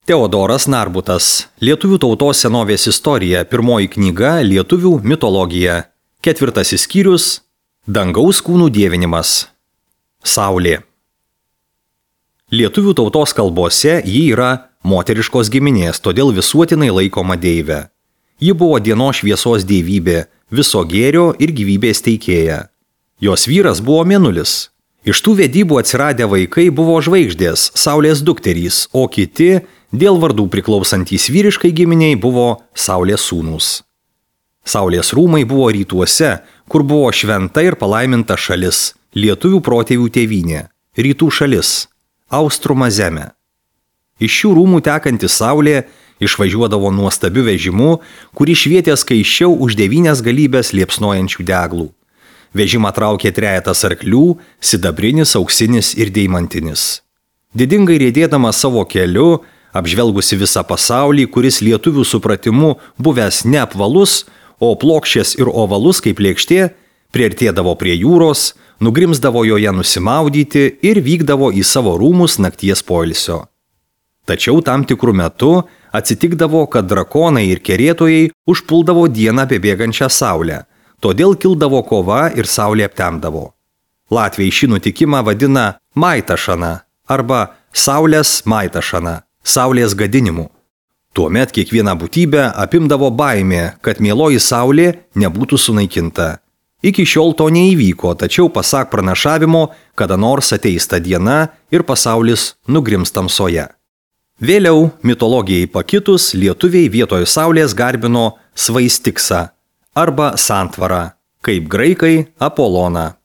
Teodoras Narbutas. Lietuvių tautos senovės istorija. Pirmoji knyga Lietuvių mitologija. 4 skyrius. Dangaus kūnų dievinimas. Saulė. Lietuvių tautos kalbose ji yra moteriškos giminės, todėl visuotinai laikoma deivė. Ji buvo dienos šviesos dievybė, viso gėrio ir gyvybės teikėja. Jos vyras buvo Mėnulis. Iš tų vedybų atsiradę vaikai buvo žvaigždės, Saulės dukterys, o kiti dėl vardų priklausantys vyriškai giminiai buvo Saulės sūnūs. Saulės rūmai buvo rytuose, kur buvo šventa ir palaiminta šalis, lietuvių protėvių tėvynė, rytų šalis, Austruma žemė. Iš šių rūmų tekanti saulė išvažiuodavo nuostabiu vežimu, kurį švietė skaičiau už 9 galybės liepsnojančių deglų. Vežimą traukė 3 arklių, sidabrinis, auksinis ir deimantinis. Didingai riedėdama savo keliu, apžvelgusi visą pasaulį, kuris lietuvių supratimu buvęs ne apvalus, o plokščias ir ovalus kaip lėkštė, priartėdavo prie jūros, nugrimsdavo joje nusimaudyti ir vykdavo į savo rūmus nakties poilsio. Tačiau tam tikrų metų atsitikdavo, kad drakonai ir kerėtojai užpuldavo dieną bebėgančią saulę, todėl kildavo kova ir saulė aptemdavo. Latviai šį nutikimą vadina maitašana arba saulės maitašana, saulės gadinimu. Tuomet kiekvieną būtybę apimdavo baimė, kad mieloji saulė nebūtų sunaikinta. Iki šiol to neįvyko, tačiau pasak pranašavimo, kada nors ateis ta diena ir pasaulis nugrims tamsoje. Vėliau, mitologijai pakitus, lietuviai vietoj saulės garbino svaistiksą arba santvarą, kaip graikai Apoloną.